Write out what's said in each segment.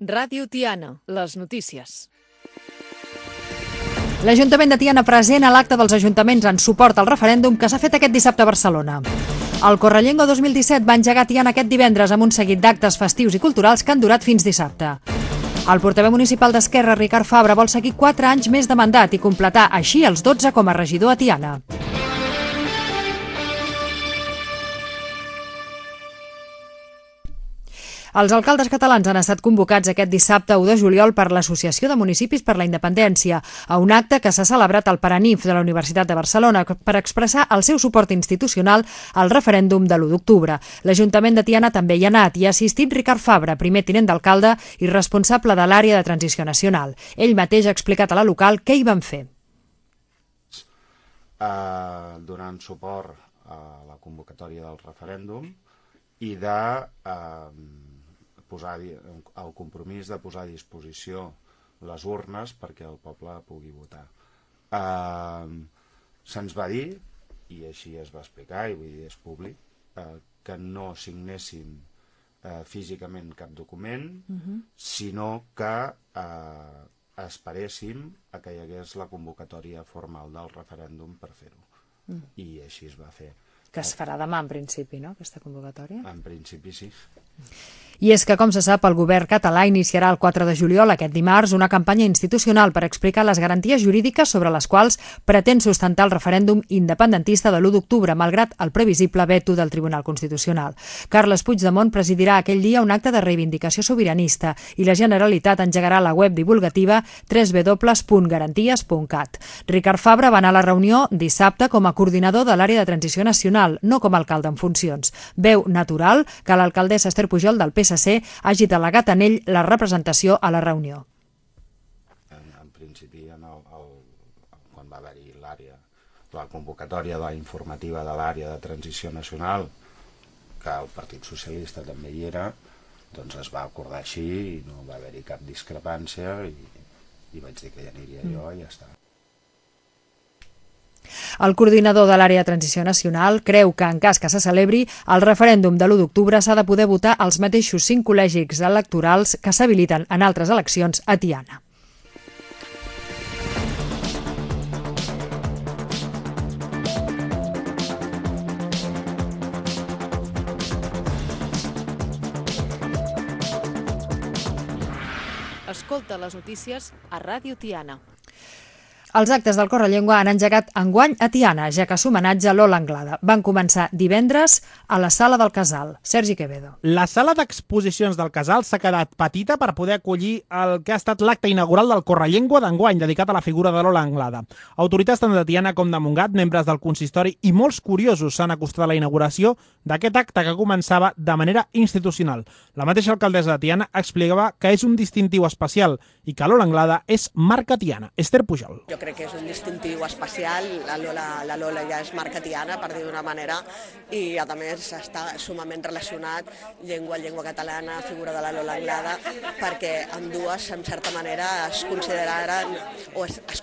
Ràdio Tiana, les notícies. L'Ajuntament de Tiana present a l'acte dels ajuntaments en suport al referèndum que s'ha fet aquest dissabte a Barcelona. El Correllengua 2017 va engegar Tiana aquest divendres amb un seguit d'actes festius i culturals que han durat fins dissabte. El portaveu municipal d'Esquerra, Ricard Fabra, vol seguir 4 anys més de mandat i completar així els 12 com a regidor a Tiana. Els alcaldes catalans han estat convocats aquest dissabte 1 de juliol per l'Associació de Municipis per la Independència a un acte que s'ha celebrat al Paranif de la Universitat de Barcelona per expressar el seu suport institucional al referèndum de l'1 d'octubre. L'Ajuntament de Tiana també hi ha anat i ha assistit Ricard Fabra, primer tinent d'alcalde i responsable de l'àrea de transició nacional. Ell mateix ha explicat a la local què hi van fer. Donant suport a la convocatòria del referèndum i de posar el compromís de posar a disposició les urnes perquè el poble pugui votar. Se'ns va dir, i així es va explicar, i vull dir és públic, que no signéssim físicament cap document, sinó que esperéssim a que hi hagués la convocatòria formal del referèndum per fer-ho. I així es va fer. Que es farà demà, en principi, no?, aquesta convocatòria? En principi, sí. I és que, com se sap, el govern català iniciarà el 4 de juliol, aquest dimarts, una campanya institucional per explicar les garanties jurídiques sobre les quals pretén sustentar el referèndum independentista de l'1 d'octubre, malgrat el previsible veto del Tribunal Constitucional. Carles Puigdemont presidirà aquell dia un acte de reivindicació sobiranista i la Generalitat engegarà la web divulgativa www.garanties.cat. Ricard Fabra va anar a la reunió dissabte com a coordinador de l'àrea de transició nacional, no com a alcalde en funcions. Veu natural que l'alcaldessa Esther Pujol del PSC hagi delegat en ell la representació a la reunió. En principi, quan va haver-hi la convocatòria de la informativa de l'àrea de transició nacional, que el Partit Socialista també hi era, doncs es va acordar així i no va haver-hi cap discrepància i vaig dir que hi aniria jo i ja està. El coordinador de l'àrea de transició nacional creu que, en cas que se celebri, el referèndum de l'1 d'octubre s'ha de poder votar als mateixos 5 col·legis electorals que s'habiliten en altres eleccions a Tiana. Escolta les notícies a Ràdio Tiana. Els actes del Correllengua han engegat enguany a Tiana, ja que s'homenatge a Lola Anglada. Van començar divendres a la Sala del Casal. Sergi Quevedo. La sala d'exposicions del Casal s'ha quedat petita per poder acollir el que ha estat l'acte inaugural del Correllengua d'enguany, dedicat a la figura de Lola Anglada. Autoritats tant de Tiana com de Montgat, membres del consistori i molts curiosos s'han acostat a la inauguració d'aquest acte que començava de manera institucional. La mateixa alcaldessa de Tiana explicava que és un distintiu especial i que Lola Anglada és marca Tiana. Esther Pujol. Jo crec que és un distintiu especial, la Lola ja és marca Tiana, per dir d'una manera, i a més està sumament relacionat llengua catalana, figura de la Lola Anglada, perquè ambdues, en certa manera, es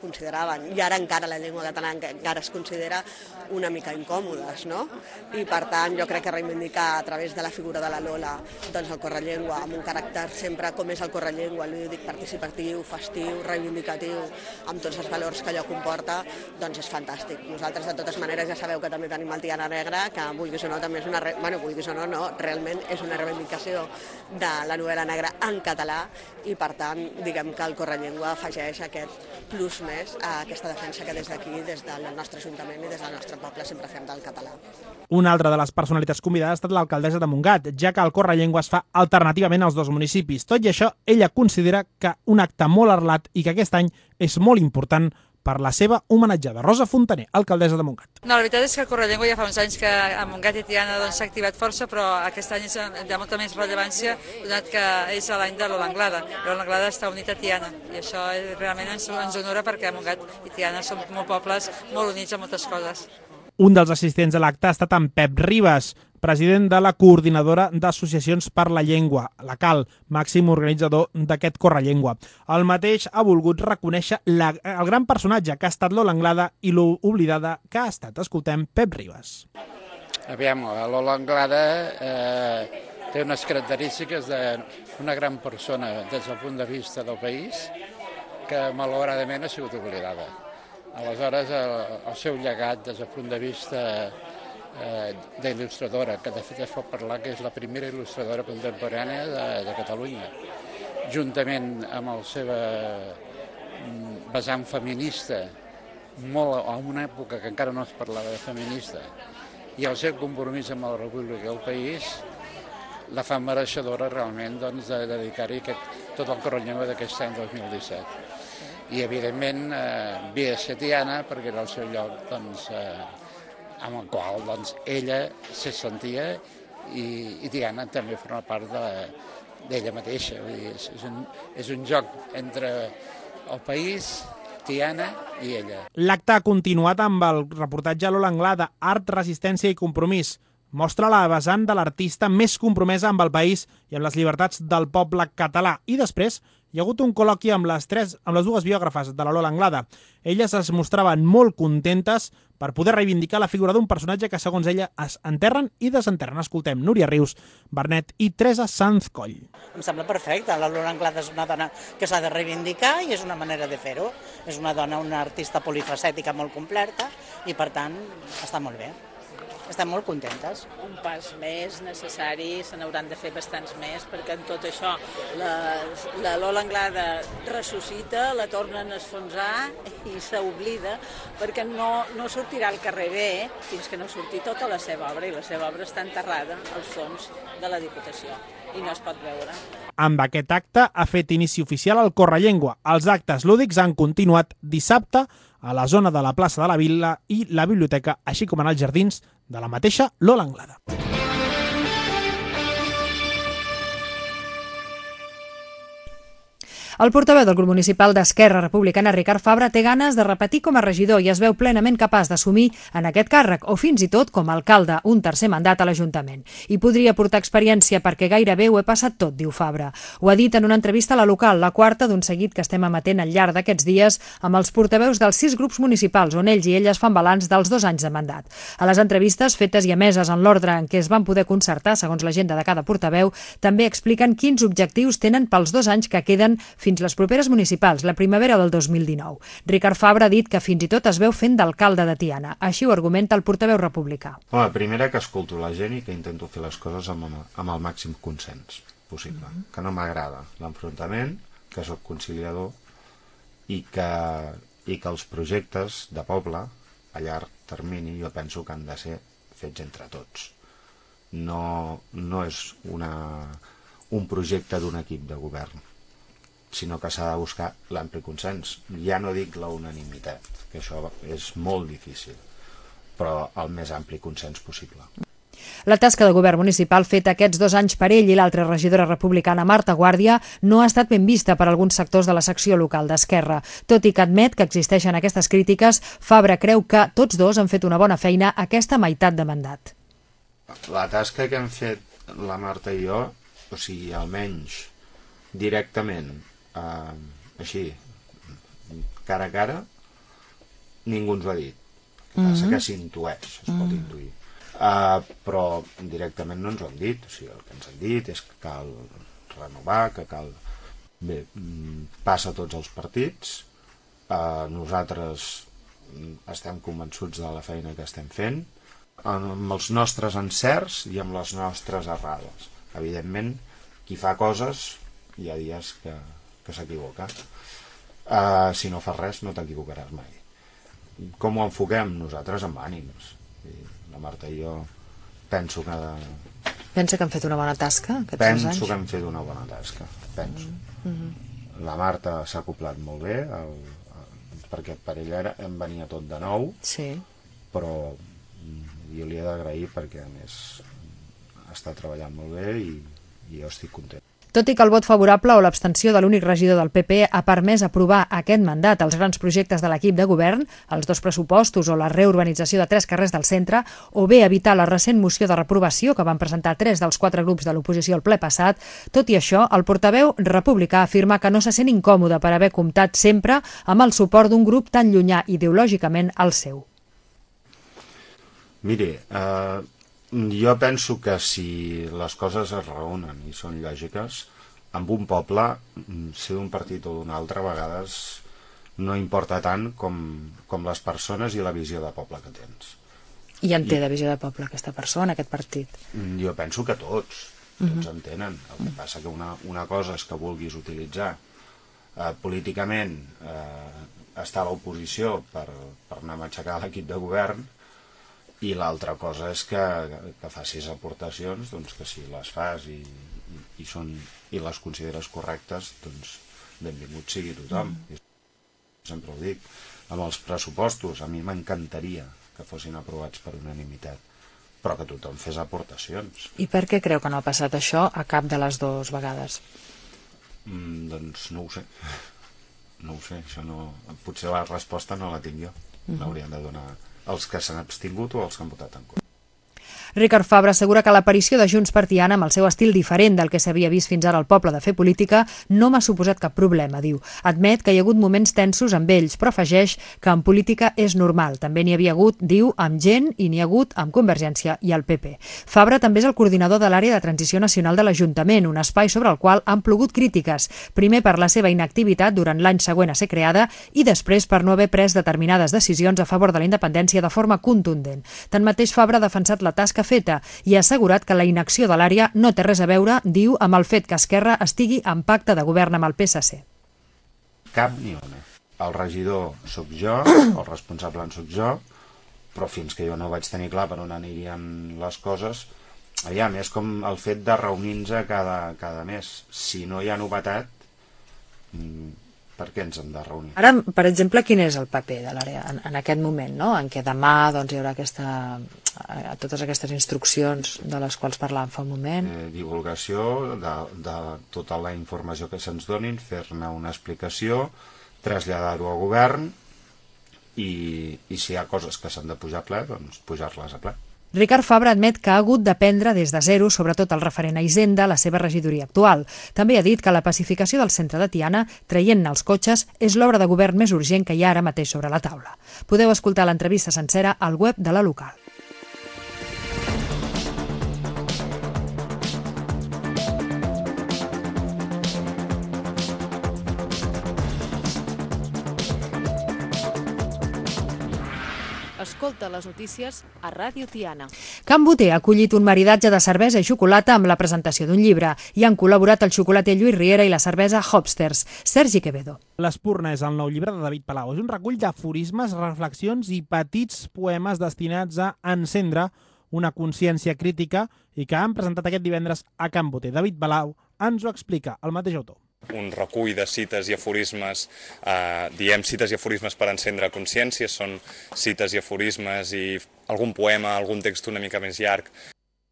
consideraven, i ara encara la llengua catalana encara es considera una mica incòmodes, no? I per tant jo crec que reivindicar a través de la figura de la Lola doncs el Correllengua amb un caràcter sempre com és el Correllengua, lúdic, participatiu, festiu, reivindicatiu, amb tots els valors que allò comporta, doncs és fantàstic. Nosaltres, de totes maneres, ja sabeu que també tenim el Tiana Negra, que vulguis o no, també és realment és una reivindicació de la novel·la negra en català i, per tant, diguem que el Correllengua afegeix aquest plus més a aquesta defensa que des d'aquí, des del nostre Ajuntament i des del nostre poble, sempre fem del català. Una altra de les personalitats convidades ha estat l'alcaldessa de Montgat, ja que el Correllengua es fa alternativament als dos municipis. Tot i això, ella considera que un acte molt arrelat i que aquest any és molt important per la seva homenatjada. Rosa Fontaner, alcaldessa de Montgat. No, la veritat és que el Correllengua ja fa uns anys que a Montgat i Tiana s'ha activat força, però aquest any és de molta més rellevància, donat que és l'any de Lola Anglada. Lola Anglada està unit a Tiana i això realment ens honora perquè Montgat i Tiana són molt pobles molt units a moltes coses. Un dels assistents a l'acte ha estat en Pep Ribas, president de la Coordinadora d'Associacions per la Llengua, la CAL, màxim organitzador d'aquest Correllengua. El mateix ha volgut reconèixer el gran personatge que ha estat Lola Anglada i l'oblidada que ha estat. Escoltem Pep Ribas. Aviam, Lola Anglada té unes característiques d'una gran persona des del punt de vista del país que malauradament ha sigut oblidada. Aleshores, el seu llegat des del punt de vista d'il·lustradora, que de fet es pot parlar que és la primera il·lustradora contemporània de Catalunya, juntament amb el seu vessant feminista, molt en una època que encara no es parlava de feminista, i el seu compromís amb la República i el país, la fa mereixedora realment de dedicar-hi tot el Correllengua d'aquest any 2017. I, evidentment, havia de ser Tiana, perquè era el seu lloc amb el qual ella se sentia i Tiana també forma part d'ella mateixa. Vull dir, és un joc entre el país, Tiana i ella. L'acte ha continuat amb el reportatge a Lola Anglada, Art, Resistència i Compromís. Mostra la vessant de l'artista més compromesa amb el país i amb les llibertats del poble català. I després hi ha hagut un col·loqui amb les dues biògrafes de la Lola Anglada. Elles es mostraven molt contentes per poder reivindicar la figura d'un personatge que, segons ella, es enterren i desenterren. Escoltem Núria Rius, Bernet i Teresa Sanz Coll. Em sembla perfecte. La Lola Anglada és una dona que s'ha de reivindicar i és una manera de fer-ho. És una dona, una artista polifacètica molt completa i, per tant, està molt bé. Estem molt contentes. Un pas més necessari, se n'hauran de fer bastants més, perquè en tot això la Lola Anglada ressuscita, la tornen a esfonsar i s'oblida, perquè no sortirà al carrer bé fins que no surti tota la seva obra, i la seva obra està enterrada als fons de la Diputació i no es pot veure. Amb aquest acte ha fet inici oficial el Correllengua. Els actes lúdics han continuat dissabte a la zona de la plaça de la Vila i la biblioteca, així com en els jardins de la mateixa Lola Anglada. El portaveu del grup municipal d'Esquerra Republicana, Ricard Fabra, té ganes de repetir com a regidor i es veu plenament capaç d'assumir en aquest càrrec o fins i tot com a alcalde un tercer mandat a l'Ajuntament. I podria portar experiència perquè gairebé ho he passat tot, diu Fabra. Ho ha dit en una entrevista a La Local, la quarta d'un seguit que estem emetent al llarg d'aquests dies amb els portaveus dels 6 grups municipals on ells i elles fan balanç dels 2 anys de mandat. A les entrevistes fetes i emeses en l'ordre en què es van poder concertar segons l'agenda de cada portaveu, també expliquen quins objectius tenen pels 2 anys que queden fins les properes municipals, la primavera del 2019. Ricard Fabra ha dit que fins i tot es veu fent d'alcalde de Tiana. Així ho argumenta el portaveu republicà. Home, primera que escolto la gent i que intento fer les coses amb el màxim consens possible. Que no m'agrada l'enfrontament, que sóc conciliador i que els projectes de poble a llarg termini jo penso que han de ser fets entre tots. No és un projecte d'un equip de govern, sinó que s'ha de buscar l'ampli consens. Ja no dic la unanimitat, que això és molt difícil, però el més ampli consens possible. La tasca de govern municipal feta aquests 2 anys per ell i l'altra regidora republicana, Marta Guàrdia, no ha estat ben vista per alguns sectors de la secció local d'Esquerra. Tot i que admet que existeixen aquestes crítiques, Fabra creu que tots dos han fet una bona feina aquesta meitat de mandat. La tasca que hem fet la Marta i jo, o sigui, almenys directament, així, cara a cara, ningú ens ho ha dit. El que passa que s'intueix, es pot intuir. Però directament no ens ho han dit. O sigui, el que ens han dit és que cal renovar, que cal... Bé, passa a tots els partits. Nosaltres estem convençuts de la feina que estem fent, amb els nostres encerts i amb les nostres errades. Evidentment, qui fa coses hi ha dies que s'equivoca. Si no fas res no t'equivocaràs mai. Com ho enfoquem? Nosaltres amb ànims. La Marta i jo penso que... Pensa que han fet una bona tasca aquests 2 anys? Penso que han fet una bona tasca, penso. La Marta s'ha acoplat molt bé, perquè per ella em venia tot de nou, però jo li he d'agrair perquè a més està treballant molt bé i jo estic content. Tot i que el vot favorable o l'abstenció de l'únic regidor del PP ha permès aprovar aquest mandat els grans projectes de l'equip de govern, els 2 pressupostos o la reurbanització de 3 carrers del centre, o bé evitar la recent moció de reprovació que van presentar 3 dels 4 grups de l'oposició al ple passat, tot i això, el portaveu republicà afirma que no se sent incòmode per haver comptat sempre amb el suport d'un grup tan llunyà ideològicament al seu. Mire, Jo penso que si les coses es raonen i són lògiques, amb un poble, ser d'un partit o d'un altre, a vegades no importa tant com les persones i la visió de poble que tens. I en té de visió de poble aquesta persona, aquest partit? Jo penso que tots en tenen. El que passa que una cosa és que vulguis utilitzar políticament estar a l'oposició per anar a matxacar l'equip de govern, i l'altra cosa és que facis aportacions, doncs que si les fas i les consideres correctes, doncs benvingut sigui tothom. Sempre ho dic, amb els pressupostos a mi m'encantaria que fossin aprovats per unanimitat, però que tothom fes aportacions. I per què creu que no ha passat això a cap de les dues vegades? Doncs no ho sé. No ho sé, això no... Potser la resposta no la tinc jo. L'haurien de donar els que s'han abstingut o els que han votat en contra. Ricard Fabra assegura que l'aparició de Junts per Tiana, amb el seu estil diferent del que s'havia vist fins ara al poble de fer política, no m'ha suposat cap problema, diu. Admet que hi ha hagut moments tensos amb ells, però afegeix que en política és normal. També n'hi havia hagut, diu, amb gent i n'hi ha hagut amb Convergència i el PP. Fabra també és el coordinador de l'àrea de transició nacional de l'Ajuntament, un espai sobre el qual han plogut crítiques, primer per la seva inactivitat durant l'any següent a ser creada i després per no haver pres determinades decisions a favor de la independència de forma contundent. Tanmateix, Fabra ha defensat la tasca feta i ha assegurat que la inacció de l'àrea no té res a veure, diu, amb el fet que Esquerra estigui en pacte de govern amb el PSC. Cap ni una. El regidor sóc jo, el responsable en sóc jo, però fins que jo no vaig tenir clar per on anirien les coses, aviam, és com el fet de reunir-nos cada mes. Si no hi ha novetat, per què ens hem de reunir? Ara, per exemple, quin és el paper de l'àrea en aquest moment, no? En què demà doncs, hi haurà totes aquestes instruccions de les quals parlàvem fa un moment? Divulgació de tota la informació que se'ns donin, fer-ne una explicació, traslladar-ho al govern i si hi ha coses que s'han de pujar a ple, doncs pujar-les a ple. Ricard Fabra admet que ha hagut d'aprendre des de zero, sobretot el referent a Hisenda, la seva regidoria actual. També ha dit que la pacificació del centre de Tiana, traient-ne els cotxes, és l'obra de govern més urgent que hi ha ara mateix sobre la taula. Podeu escoltar l'entrevista sencera al web de la local. Escolta les notícies a Ràdio Tiana. Can Boter ha acollit un maridatge de cervesa i xocolata amb la presentació d'un llibre. Hi han col·laborat el xocolater Lluís Riera i la cervesa Hopsters. Sergi Quevedo. L'Espurna és el nou llibre de David Palau. És un recull d'aforismes, reflexions i petits poemes destinats a encendre una consciència crítica i que han presentat aquest divendres a Can Boter. David Palau ens ho explica, el mateix autor. Un recull de cites i aforismes, diem cites i aforismes per encendre consciència, són cites i aforismes i algun poema, algun text una mica més llarg.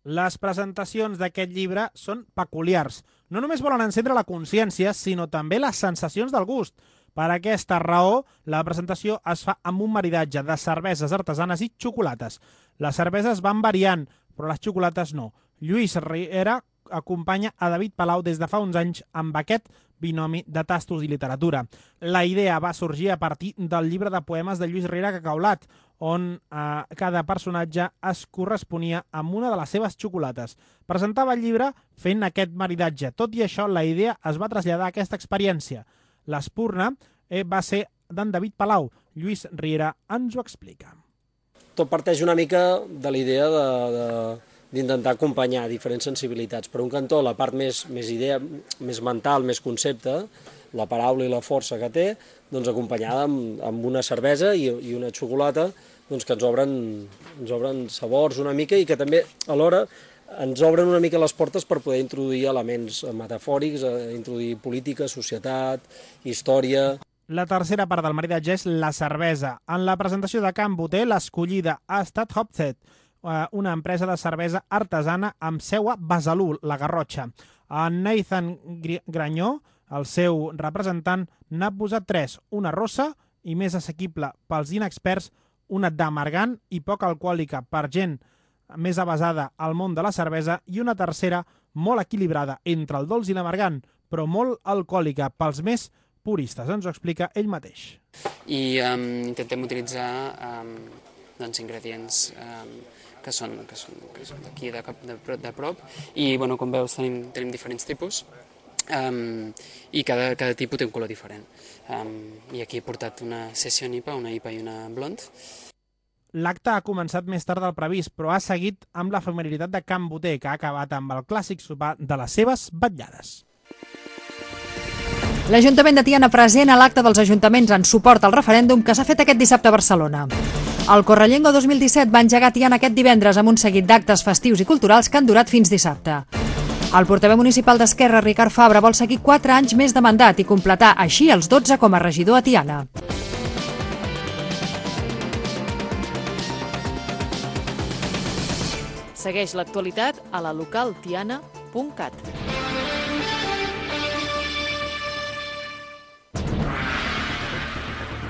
Les presentacions d'aquest llibre són peculiars. No només volen encendre la consciència, sinó també les sensacions del gust. Per aquesta raó, la presentació es fa amb un maridatge de cerveses artesanes i xocolates. Les cerveses van variant, però les xocolates no. Lluís Riera acompanya a David Palau des de fa uns anys amb aquest binomi de tastos i literatura. La idea va sorgir a partir del llibre de poemes de Lluís Riera Cacaulat, on cada personatge es corresponia amb una de les seves xocolates. Presentava el llibre fent aquest maridatge. Tot i això, la idea es va traslladar a aquesta experiència. L'Espurna va ser d'en David Palau. Lluís Riera ens ho explica. Tot parteix una mica de la idea d'intentar acompanyar diferents sensibilitats. Per un cantó, la part més idea, més mental, més concepte, la paraula i la força que té, doncs acompanyada amb una cervesa i una xocolata doncs que ens obren sabors una mica i que també alhora ens obren una mica les portes per poder introduir elements metafòrics, introduir política, societat, història. La tercera part del maridatge és la cervesa. En la presentació de Can Boter, l'escollida ha estat Hopstead, una empresa de cervesa artesana amb seu a Besalú, la Garrotxa. En Nathan Granyó, el seu representant, n'ha posat 3, una rossa i més assequible pels inexperts, una d'amargant i poc alcohòlica per gent més avesada al món de la cervesa i una tercera molt equilibrada entre el dolç i l'amargant, però molt alcohòlica pels més puristes. Ens ho explica ell mateix. I intentem utilitzar ingredients que són d'aquí de prop, i com veus tenim diferents tipus, i cada tipus té un color diferent. I aquí he portat una Session IPA, una IPA i una Blonde. L'acte ha començat més tard del previst, però ha seguit amb l'efemeritat de Can Boter, que ha acabat amb el clàssic sopar de les seves vetllades. L'Ajuntament de Tiana present a l'acte dels ajuntaments en suport al referèndum que s'ha fet aquest dissabte a Barcelona. El Correllengua 2017 va engegar Tiana aquest divendres amb un seguit d'actes festius i culturals que han durat fins dissabte. El portaveu municipal d'Esquerra, Ricard Fabra, vol seguir 4 anys més de mandat i completar així els 12 com a regidor a Tiana. Segueix l'actualitat a la localtiana.cat.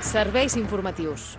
Serveis informatius.